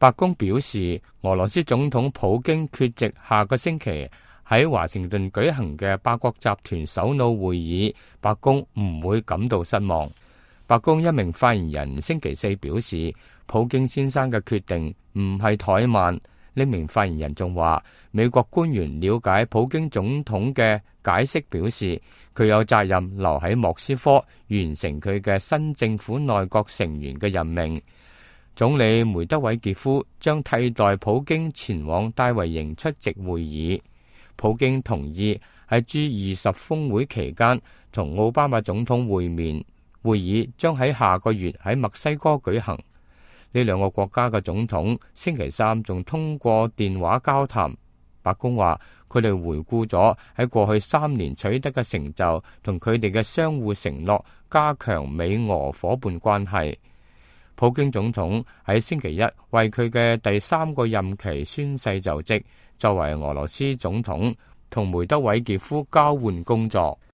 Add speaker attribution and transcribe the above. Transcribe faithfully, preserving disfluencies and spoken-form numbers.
Speaker 1: 白宮表示，俄羅斯總統普京缺席下個星期喺華盛頓舉行嘅八國集團首腦會議，白宮唔會感到失望。白宮一名發言人星期四表示，普京先生嘅決定唔係怠慢。呢名發言人仲話，美國官員了解普京總統嘅解釋，表示佢有責任留喺莫斯科完成佢嘅新政府內閣成員嘅任命。總理梅德韋傑夫將替代普京前往戴維營出席會議。普京同意喺 G 二十峰會期間同奧巴馬總統會面，會議將喺下個月喺墨西哥舉行。呢兩個國家嘅總統星期三仲通過電話交談。白宮話佢哋回顧咗喺過去三年取得嘅成就，同佢哋嘅相互承諾，加強美俄夥伴關係。普京總統喺星期一為佢嘅第三個任期宣誓就職，作為俄羅斯總統，同梅德韋傑夫交換工作。